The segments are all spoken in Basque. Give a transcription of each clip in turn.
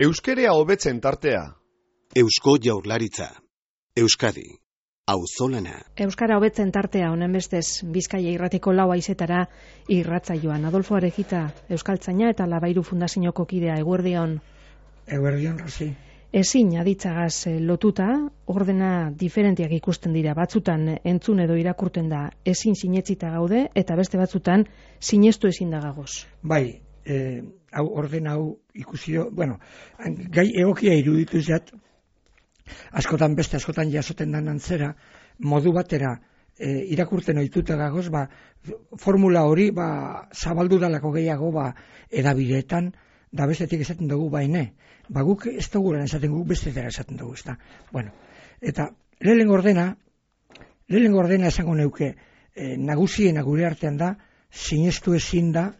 Euskerea hobetzen tartea. Eusko Jaurlaritza. Euskadi. Auzolana. Euskara hobetzen tartea honen bestez Bizkaia irratiko 4 haizetara irratsaioan. Adolfo Arejita, euskaltzaina eta Labairu Fundazioko kidea. Eguerdion. Eguerdion, Rosi. Ezin aditzagaz lotuta, ordena diferentiak ikusten dira. Batzutan entzun edo irakurten da ezin sinetzita gaude, eta beste batzutan sinestu ezin da gagoz. Bai, hau ordena hau ikusio, gai egokia iruditu zat, askotan jasoten dan antzera, modu batera irakurten ohituta gagoz, formula hori zabaldu dalako gehiago edabideetan, da bestetik esaten dugu baine. Guk ez dugu esaten, guk bestetera esaten dugu, ezta. Eta lehenengo ordena esango neuke, nagusiena gure artean da, sinestu ezin da,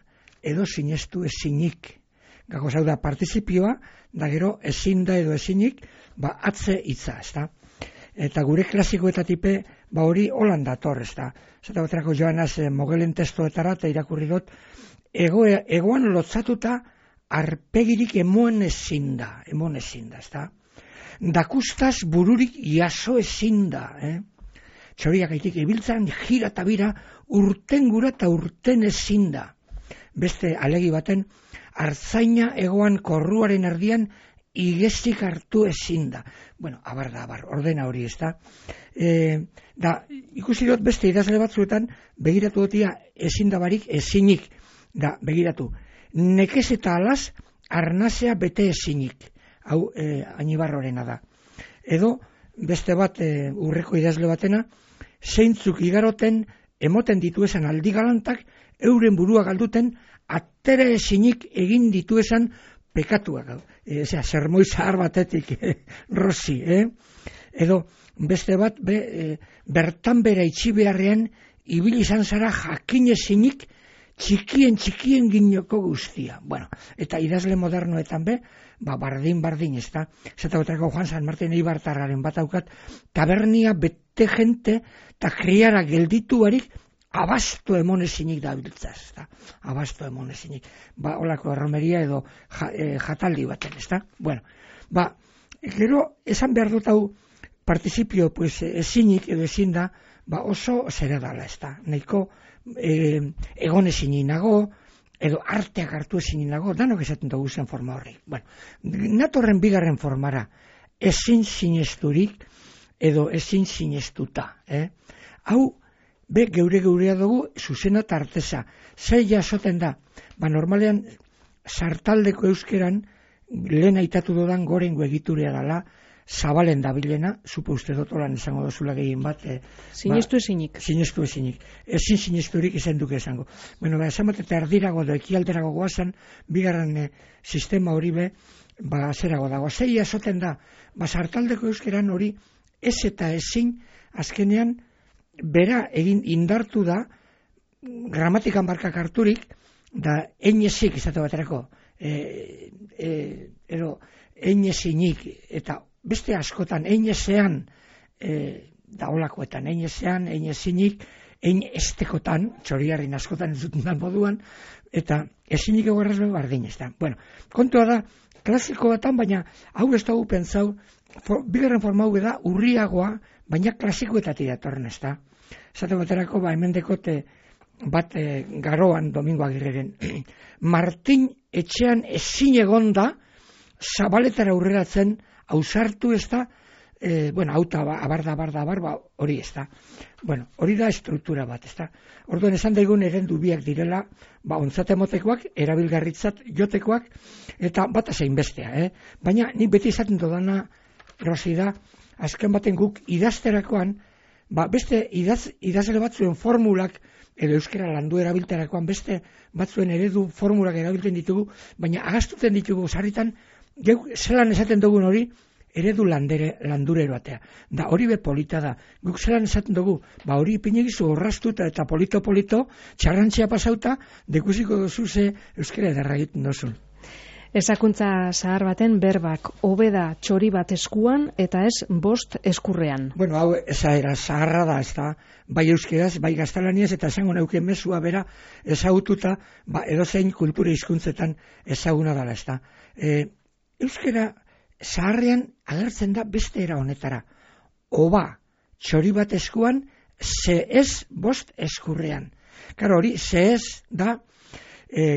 edo sinestu ezinik. Gagoz hau da, partizipioa, da gero ezin da edo ezinik, atze hitza, ezta. Eta gure klasikoetatipe, hori holan dator, ezta. Zata baterako joanaz Mogelen testoetara, eta irakurri dut, egoan lotzatuta, arpegirik emon ezin da, ezta. Dakustaz bururik jaso ezin da, Txoriak aitik ibiltzan, jira eta bira, urten gura eta urten ezin da. Beste alegi baten, artzaina egoan korruaren erdian, igestik hartu ezin da. Abar, ordena hori, ezta. Ikusi dut beste idazle batzuetan, begiratu dutia ezin da barik, ezinik, begiratu. Nekez eta alaz, arnazea bete ezinik. Hau, Anibarrorena da. Edo, beste bat, urreko idazle batena, zeintzuk igaroten, emoten dituesan aldi galantak, euren burua galduten, atera ezinik egin dituesan pekatuak. Sermoi zahar batetik, Rosi. Edo, beste bat, bertan bera itxi beharrean, ibili izan zara jakin ezinik, txikien ginoko guztia. Eta idazle modernoetan bardin, ezta. Zeta baterako Juan San Martin Eibartarraren bat aukat, tabernia bete jente, eta kriara gelditu barik, abasto emon ezinik dabiltza, ezta. Abasto emon ezinik. Olako erromeria edo jataldi baten, ezta. Gero, esan behar dut hau, partizipio ezinik edo ezin da, oso zera dala, ezta. Nahiko egon ezin nago, edo arteak hartu ezin nago, danok esaten dugu zen forma horri. Natorren bigarren formara, ezin sinesturik, edo ezin sinestuta. Hau, geurea dugu, zuzena eta arteza. Zer jasoten da, normalean, sartaldeko euskeran, lehen aitatu dudan gorengo egiturea dela, zabalen dabilena, zupo uste dotolan esango dozula gehien bat. Sinestu ezinik. Sinestu ezinik. Ezin sinesturik izan duke esango. Esan bat eta erdirago edo ekialderago goazan, bigarren sistema hori zerago dago. Zei jasoten da, sartaldeko euskeran hori, ez eta ezin, azkenean, bera egin indartu da, gramatikan barkak harturik, da enezik izate baterako, edo enezinik, eta beste askotan, einezean, da olakoetan, einezean, einezinik, einestekotan, txoriarrin askotan ez duten moduan, eta ezinik egoerraz bardin ez da. Kontua da, klasiko batan, baina hau ez dugu pentsau, bigarren forma hau da, urriagoa, baina klasikoetatik datorren ez da. Zate baterako, hemen dekote bat garoan, Domingo Agirreren, Martin etxean ezin egon da, zabaletara aurreratzen, ausartu ez da, auta abar, hori ez da. Hori da estruktura bat, ez da. Orduan esan daigun erendu biak direla, ontzat emotekoak, erabilgarritzat jotekoak, eta bat zein bestea, Baina nik beti izaten dodana, Rosi da, azken baten guk idazterakoan, beste idazle batzuen formulak, edo euskera landu erabilterakoan, beste batzuen eredu formulak erabiltzen ditugu, baina agastuten ditugu sarritan, zelan esaten dugun hori, eredu landurero atea. Da hori polita da. Guk zelan esaten dugu, hori ipinegizu horraztuta eta polito, txarrantzia pasauta, dekusiko duzu ze euskera edarra egiten duzun. Ezakuntza zahar baten berbak, hobeda txori bat eskuan eta ez 5 eskurrean. Hau ezaera zaharra da, ez da, bai euskeraz, bai gaztelaniaz, eta esango neuke mezua bera ezagututa, edozein kultura hizkuntzetan ezaguna dela, ez da. euskera zaharrean agertzen da beste era honetara. Oba, txori bat eskuan, ze ez bost eskurrean. Karo hori, ze ez da,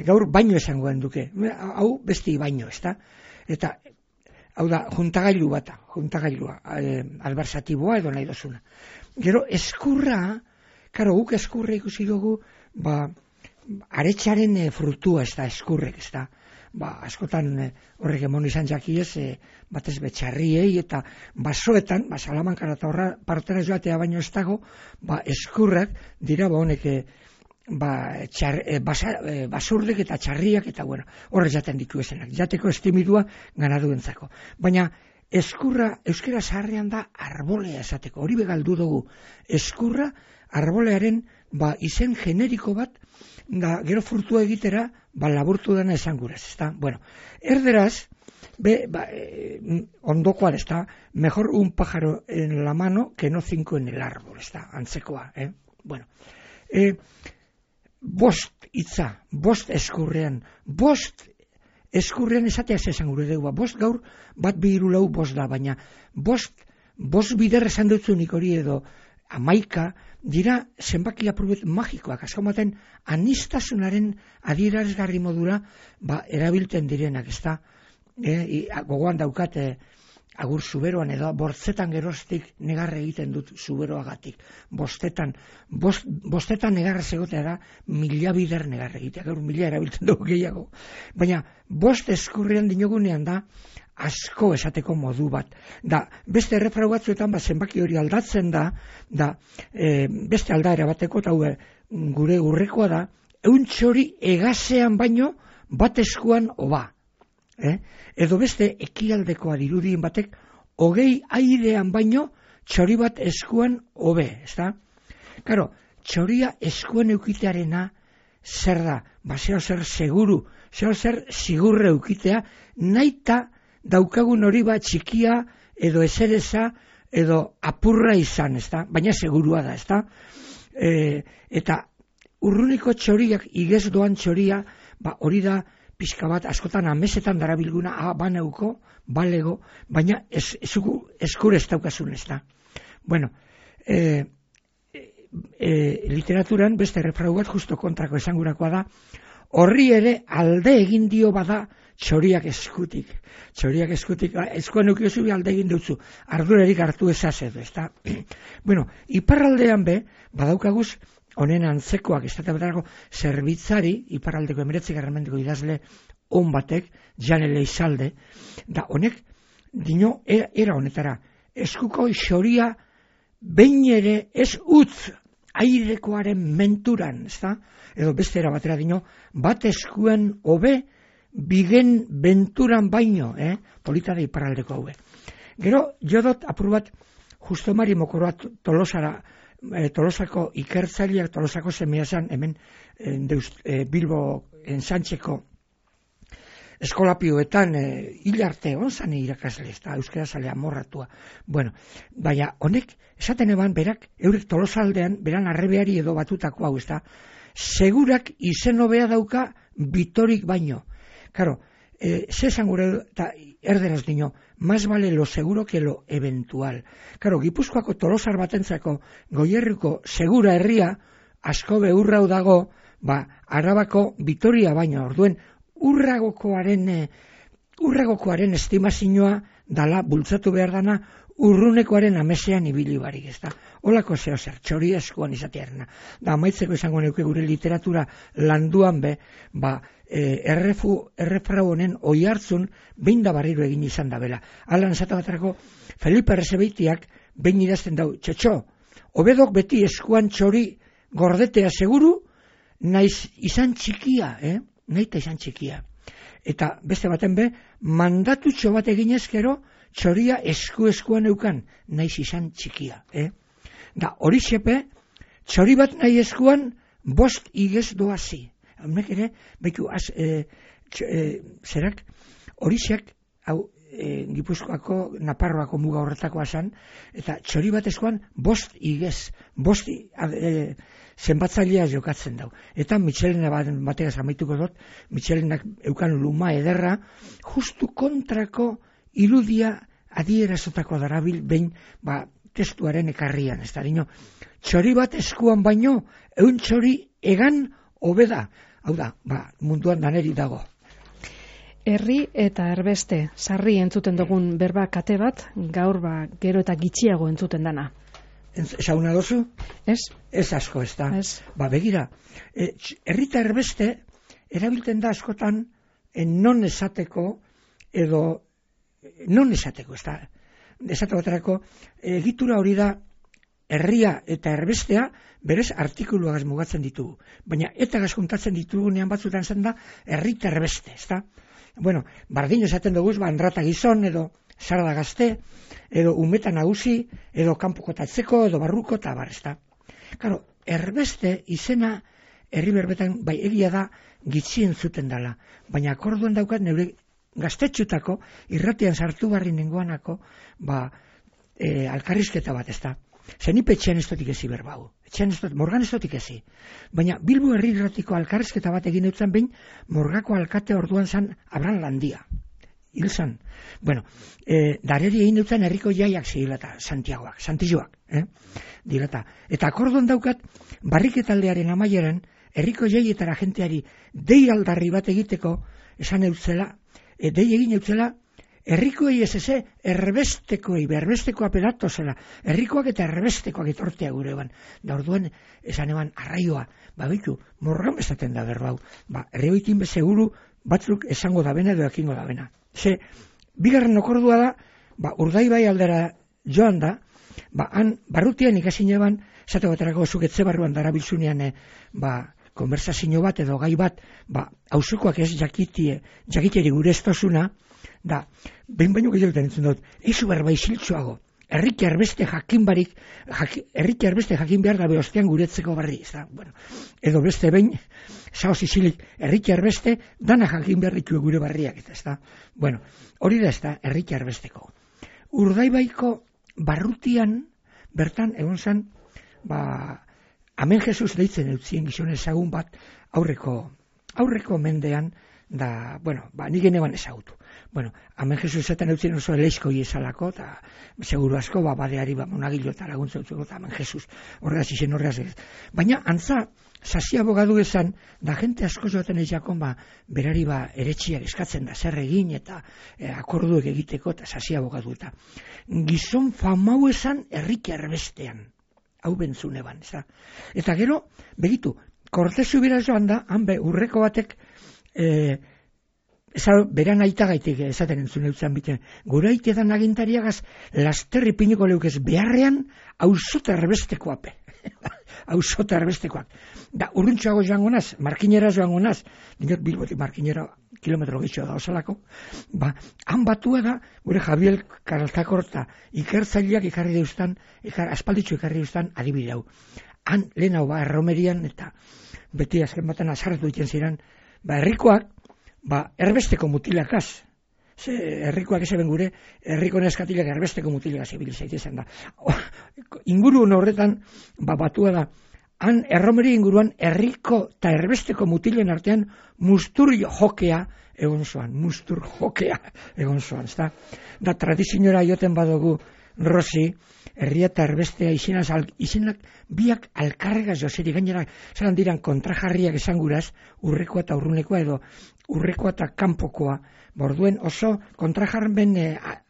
gaur baino esangoen duke. Hau besti baino, ezta? Eta, hau da, juntagailua, albarzatiboa edo nahi dozuna. Gero, eskurra, karo, guk eskurra ikusi dugu, aretxaren frutua ez da, eskurrek, ez da. Askotan horrek emon izan jakiez, batez betxarriei eta basoetan, Salamankara eta horra partera joatea baino ez dago, eskurrak dira honek basurdek eta txarriak eta horre jaten ditu esenak, jateko estimidua ganaduentzako. Baina eskurra, euskera zaharrean da arbolea esateko, hori begaldu dugu, eskurra arbolearen izen generiko bat, da gero furtua egitera, laburtu dena esan gurez, ezta? Bueno, erderaz, ondokoa, ezta? Mejor un pájaro en la mano que no 5 en el árbol, ezta? Antzekoa, Bueno, bost hitza, bost eskurrean esatea esan gure dugu, bost gaur, bat 2 3 4 bost da, baina bost bider esan dutzunik hori edo 11 dira zenbaki apurut magikoak, askomaten anistasunaren adierazgarri modura erabiltzen direnak, ezta? Gogoan daukate agur zuberoan edo bortzetan geroztik negarre egiten dut zuberoagatik. Bostetan negarre zegotea da 1000 bider negarre egitea, gaur 1000 erabiltzen dugu gehiago. Baina bost eskurrean dinogunean da asko esateko modu bat. Da, beste errefrau batzuetan zenbaki hori aldatzen da, beste aldaera bateko, eta gure urrekoa da, euntxori egasean baino bat eskuan oba. Edo beste ekialdekoa dirudien batek, 20 airean baino txori bat eskuan obe, ezta? Karo, txoria eskuan eukitearena zer da? Zeo zer seguru, zeo zer sigurre eukitea, naita daukagun hori txikia edo esereza edo apurra izan, ezta? Baina segurua da, ezta? Eta urruniko txoriak, igez doan txoria, hori da pixka bat, askotan amesetan darabilguna, baneuko, balego, baina eskur ez daukasun, ezta? Bueno, literaturan beste errefrau bat justo kontrako esangurakoa da, horri ere alde egin dio bada txoriak eskutik. Eskuan eukiozu alde egin dutzu, ardurarik hartu ezazedu, ezta? Bueno, iparraldean badaukaguz, honen antzekoak, ez da zerbitzari, iparraldeko 19. mendeko idazle on batek, Jan Elizalde, da honek, dino, era honetara, eskuko xoria behin ere ez utz airekoaren menturan, ez da? Edo beste era batera dino, bat eskuan hobe bigen benturan baino, polita da iparraldeko haue. Gero, jodot apur bat, justo mari mokoroa Tolosako ikertzaileak, Tolosako semiazan, hemen Bilbo ensantxeko eskolapioetan hilarte onzan irakasle, eta euskera zalea morratua. Bueno, baina honek, esaten eban berak, eurek Tolosaldean, beran arrebeari edo batutako hau, ez da, segurak izen hobea dauka bitorik baino. Karo, zesan gure, eta erderaz dino, más vale lo seguro que lo eventual. Karo, Gipuzkoako Tolosar batentzako Goierriko segura herria, asko beurrau dago, Arabako Bitoria baino, orduen, urragokoaren estimazioa dala bultzatu behar dana urrunekoaren amesean ibili barik, ez da. Olako zeo zer, txori eskuan izatearena. Da, amaitzeko izango neuke gure literatura landuan errefrau honen oi hartzun behin da barriro egin izan da bela. Alan esatu baterako, Felipe Errezebeitiak behin idazten dau, txotxo, obedok beti eskuan txori gordetea seguru, naiz izan txikia, naita izan txikia. Eta beste baten mandatutxo bat egin ezkero, txoria eskuan eukan, naiz izan txikia. Da, hori xepe, txori bat nahi eskuan, bost igez doazi. Haunek ere, behitu, zerak, hori xek, Gipuzkoako, Naparroako muga horretakoa zan, eta txori batezkoan 5 igez, 5 zenbatzailea jokatzen dau. Eta Michelena bategaz amaituko dut, Michelenak eukan luma ederra, justu kontrako irudia adierazotako darabil behin, testuaren ekarrian, ez da, dino, txori bat eskuan baino, eun txori egan hobeda. Hau da, munduan daneri dago. Herri eta erbeste, sarri entzuten dugun berba kate bat, gaur gero eta gitxiago entzuten dana. Esauna dozu? Ez? Ez asko, ez da. Ez. Begira, herri eta erbeste erabilten da askotan non esateko, edo non esateko, ez da. Esateko baterako, egitura hori da, herria eta erbestea berez artikuluagaz mugatzen ditugu. Baina eta gazkuntatzen ditugunean batzutan zen da, herri eta erbeste, ez da. Bueno, bardin esaten dugu, andrata gizon, edo sarda gazte, edo umeta nagusi, edo kanpokotatzeko, edo barruko, eta bar, ez da. Claro, erbeste izena herri berbetan, bai egia da, gitxien zuten dela. Baina akorduan daukat neure gaztetxutako, irratian sartu barri nengoanako, alkarrizketa bat, ez da. Zenipe etxean ez dotik ezi berbau. Morgan ez dotik ezi. Baina Bilbo herri irratiko alkarrizketa bat egin eutzen behin, Morgako alkate orduan zan Abran Landia. Hil zan. Bueno, dareri egin eutzen herriko jaiak zigilata, Santiagoak, Santilloak. Dilata. Eta akorduan daukat, barriketaldearen amaieran, herriko jaietara jenteari dei aldarri bat egiteko, esan eutzela, dei egin eutzela, herrikoei ez erbestekoei, berbestekoa pedato zela, herrikoak eta erbestekoak etortea gure eban. Da orduan, esan eban, arraioa, behitu, morgan bezaten da berbau, herrioikin bezeguru batzuk esango dabena edo ekingo dabena. Bigarren okordua da, Urdaibai aldera joan da, han barrutian ikasin eban, esate baterako zuketze barruan darabilzunean, konversazio bat edo gai bat, auzokoak ez jakiteri gure estosuna, da, behin baino gehiagotan entzun dut, eizu berba iziltzuago, herrik erbeste jakin behar da behostean guretzeko barri, ez da, bueno, edo beste behin, saoz izilik, herrik erbeste, dana jakin behar ditu gure barriak, ez da, bueno, hori da ez da, herrik erbesteko. Urdaibaiko barrutian, bertan, egon zen, Amen Jesus deitzen eutzien gizon ezagun bat, aurreko mendean, da, bueno, nik geneban ezagutu. Bueno, Amen Jesus zaten eutzien oso eleizkoi ezalako, eta seguru asko, badeari, monagilo eta laguntza utzuko, eta Amen Jesus horregaz izen horregaz ez. Baina, antza, sasi abogadu esan, da jente asko joaten eiakon, berari eretxiak eskatzen da, zer egin, eta akorduek egiteko, eta sasi abogadu eta. Gizon famau esan herrik erbestean. Hau bentzune ban, ez da. Eta gero, begitu, Kortezu bera joan da, urreko batek, beran aita gaitik esaten entzun eutzen biten, gure aite dan agintariagaz, lasterri piniko leukez beharrean, hausota erbestekoape. Hausota erbestekoak. Da, urruntxoago joango naz, markinera joango naz, dinot Bilbotik markinera kilometro gitxo da osalako, han batua da, gure Javier Karaltakor eta ikertzaileak ikarri deustan, aspalditxo ikarri deustan adibideu. Han lehen hau erromerian, eta beti azken baten azarretu ditzen ziren, herrikoak, erbesteko mutilakaz, herrikoak ezeben gure, herriko neskatilak erbesteko mutilakaz ibilizaitezen da. Inguru horretan, batua da, han erromeri inguruan herriko eta erbesteko mutilen artean mustur jokea egon zoan, da tradiziora joten badugu Rosi, herria eta erbestea izenak biak alkarregaz joseri, gainera zelan diran kontrajarriak esan guraz, urrekoa eta urrunekoa edo urrekoa eta kanpokoa, borduen oso kontrajarren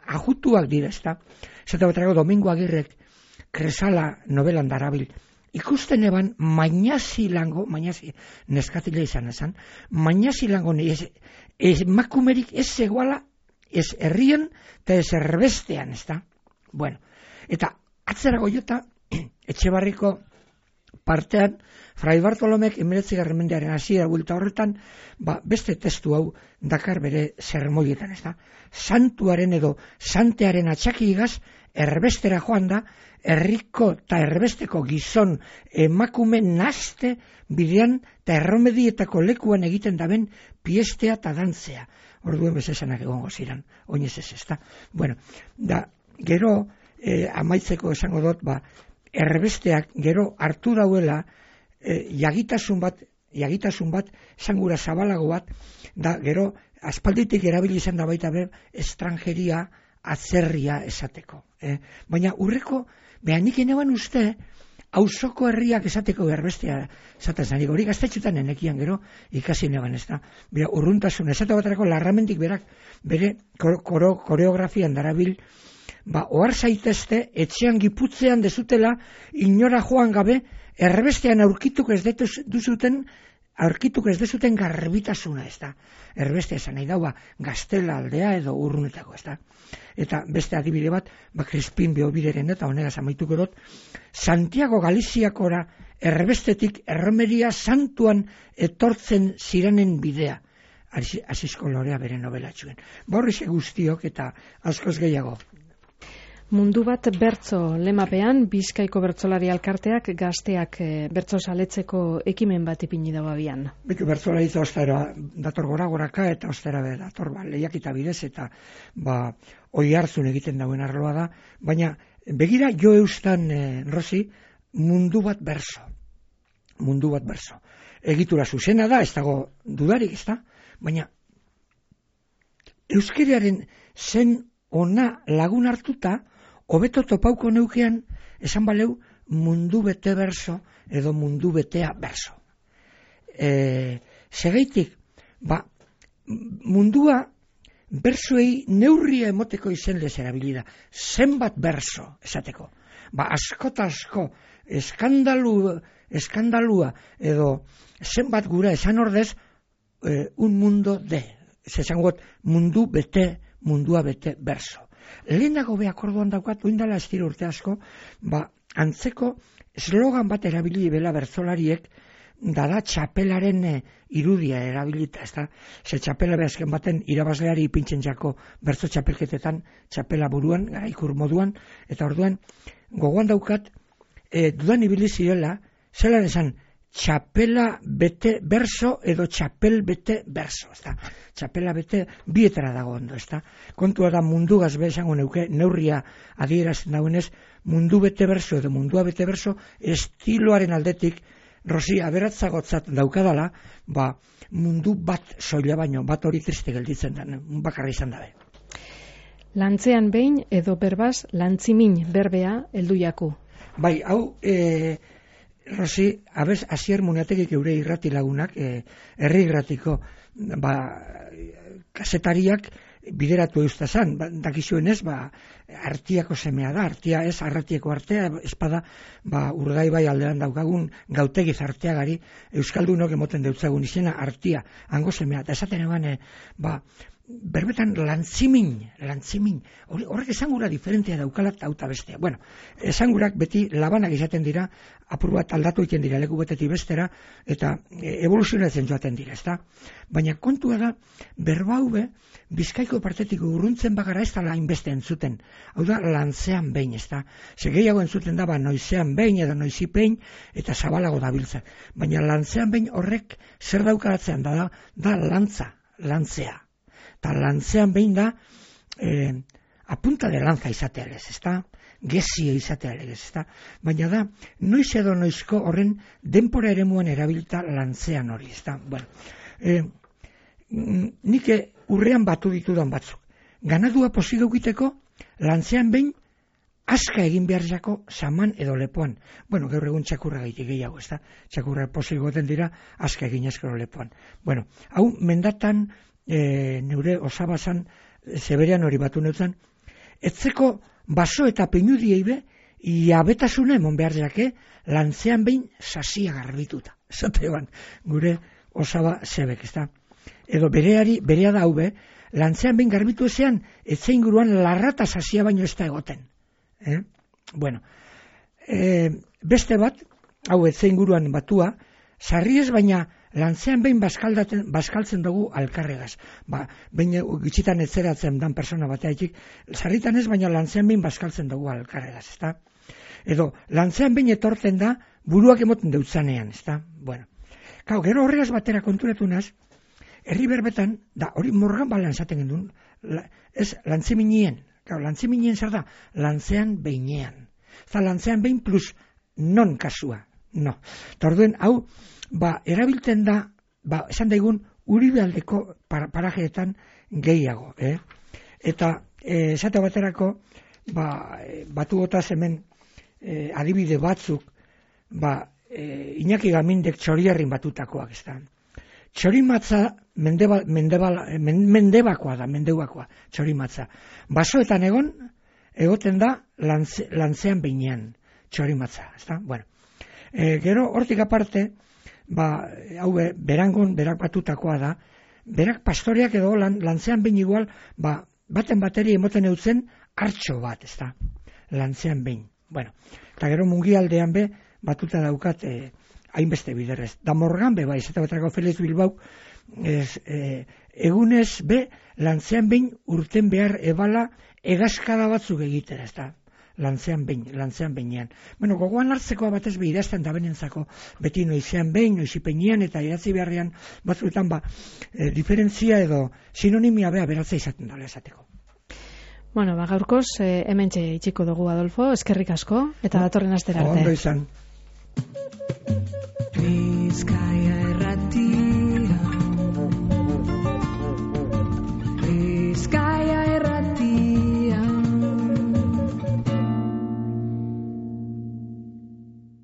ajutuak dira, ez da? Zeta baterako Domingo Agirrek Kresala novelan darabil, ikusten eban Mañasi neskatila izan esan, Mañasi lango emakumerik ez eguala, ez herrien eta ez erbestean, ez da? Bueno, eta atzerago jota, Etxebarriko partean, Fray Bartolomek 19. mendearen hasiera bulta horretan, beste testu hau dakar bere sermoietan, ez da? Santuaren edo santearen atxakigaz, erbestera joan da, herriko eta erbesteko gizon emakume naste bidean eta erromedietako lekuan egiten daben piestea eta dantzea. orduen bezesanak egongo ziren, oinez ez, ezta. Bueno, da, gero, amaitzeko esango dut, erbesteak gero hartu dauela jagitasun bat, esangura zabalago bat, da gero aspalditik erabili izan da baita estrangeria atzerria esateko. Baina urreko, behanik eneban uste, auzoko herriak esateko erbestea esaten zanik, hori gaztetxutan enekian gero ikasi neban, ez da. Urruntasun, esate baterako larramendik berak, bere koreografian darabil, ohar zaitezte, etxean giputzean dezutela, inora joan gabe, erbestean aurkituk ez dezuten garbitasuna, ez da. Erbestea esan nahi daua, Gaztela aldea edo urrunetako, ez da. Eta beste adibide bat, Crispin Beobideren eta honegaz amaituko dut, Santiago Galiziakora erbestetik Erromeria Santuan etortzen ziranen bidea. Asisko Lorea bere novelatxuen. Horrixe guztiok eta askoz gehiago. Mundu bat bertso lemapean, Bizkaiko bertsolari alkarteak gazteak bertso saletzeko ekimen bat ipini dago abian. Bertsolaritza ostera dator goraka eta ostera dator lehiakita bidez eta oi hartzun egiten dauen arloa da, baina begira jo eustan, Rosi, mundu bat berso. Egitura zuzena da, ez dago dudarik, ez da, baina euskeraren zen ona lagun hartuta, hobeto topauko neukean, esan baleu, mundu bete berso edo mundu betea berso. Segeitik, mundua bersoei neurria emoteko izen lez erabilida. Zenbat berso, esateko. Asko eskandalua edo zenbat gura esan ordez, un mundo de. Esangot, mundua bete berso. Lehenago orduan daukat, oindala estiro urte asko, antzeko slogan bat erabili bela bertsolariek, dada txapelaren irudia erabilita, ez da? Ze txapela behazken baten irabazleari ipintzen jako bertso txapelketetan, txapela buruan, garaikur moduan, eta orduan gogoan daukat, dudan ibili zirela, zelan esan, txapela bete berso edo txapel bete berso, ez da? Txapela bete bietara dago ondo, ez da? Kontua da mundu gazbe esango neuke, neurria adierazten dagoenez, mundu bete berso edo mundua bete berso, estiloaren aldetik, Rosi, aberatzagotzat daukadala, mundu bat soila baino, bat hori triste gelditzen da, bakarra izan dabe. Lantzean behin edo berbaz, lantzimin berbea heldu jaku. Hau, Rosi, abez, Asier Munategik eure irrati lagunak, herri irratiko, kasetariak bideratu eustazan, dakizuenez, artiako semea da, artia ez, arratieko artea, espada, Urdai bai aldean daukagun Gautegiz arteagari, Euskaldunok emoten deutzagun izena, artia, hango semea, eta esaten eban, berbetan lantzimin, horrek esangura diferentea daukalat auta bestea. Bueno, esangurak beti labanak izaten dira, apur bat aldatu egiten dira leku betetik bestera, eta evoluzionatzen joaten dira, ezta? Baina kontua da, berbaube, Bizkaiko partetik urruntzen bagara ez da hainbeste entzuten. Hau da, lantzean behin, ezta? Gehiago entzuten da, noizean behin edo noizipein, eta zabalago dabiltza. Baina lantzean behin horrek zer daukaratzean da lantzea. Eta lantzean behin da, apunta de lanza izatea lez, ezta? Gezia izatea lez, ezta? Baina da, noiz edo noizko horren denpora eremuan erabilta lantzean hori, ezta? Bueno, nik urrean batu ditudan batzuk. Ganadua pozik egiteko, lantzean behin, aska egin behar jako saman edo lepoan. Bueno, gaur egun txakurra gaitik gehiago, ezta? Txakurra pozik goten dira, aska egin eskero lepoan. Bueno, hau mendatan, neure osabazan zeberean hori batu neutzen, etzeko baso eta peinudiei be, iabetasuna emon behar jake, lantzean behin sasia garbituta. Zateban, gure osaba zebek, ezta? Edo berea da hau be, lantzean behin garbitu ezean, etzein guruan larrata sasia baino ez da egoten. Bueno, beste bat, hau etzein guruan batua, sarriez baina lantzean behin baskaltzen dugu alkarregaz. Behin gitxitan etzeratzen dan persona bateatik, sarritan ez baina lantzean behin baskaltzen dugu alkarregaz, ezta? Edo, lantzean behin etortzen da, buruak emoten deutzanean, ezta? Bueno, gero horregaz batera konturatu naz, herri berbetan, da hori morgan balan esaten gendun, ez lantzeminien, lantzeminien zer da, lantzean beinean. Eta lantzean behin plus non kasua, no. Eta orduen, hau, erabiltzen da, esan daigun, Uribealdeko parajeetan gehiago, Eta, esate baterako, batu gotaz hemen adibide batzuk, Iñaki Gamindek Txoriarrin batutakoak, ez da. Txorimatza mendebakoa da, txorimatza. Basoetan egoten da lantzean beinean, txorimatza, ez da. Bueno, gero hortik aparte, hau berangon, berak batutakoa da, berak pastoreak edo lantzean behin igual, baten bateri emoten eutzen hartxo bat, ez da, lantzean behin. Bueno, eta gero mungialdean batuta daukat hainbeste biderrez. Da morgan bai, eta batrako Felix Bilbao, egunez lantzean behin urten behar ebala egazkada batzuk egitera, ez da, lantzean behinean. Bueno, gogoan hartzekoa batez idazten da benentzako, beti noizean behin, noizipenean, eta idatzi beharrean batzuetan diferentzia edo sinonimia beratza izaten dela esateko. Bueno, gaurkoz, hementxe itxiko dugu, Adolfo, eskerrik asko, eta datorren astera arte. Ondo izan.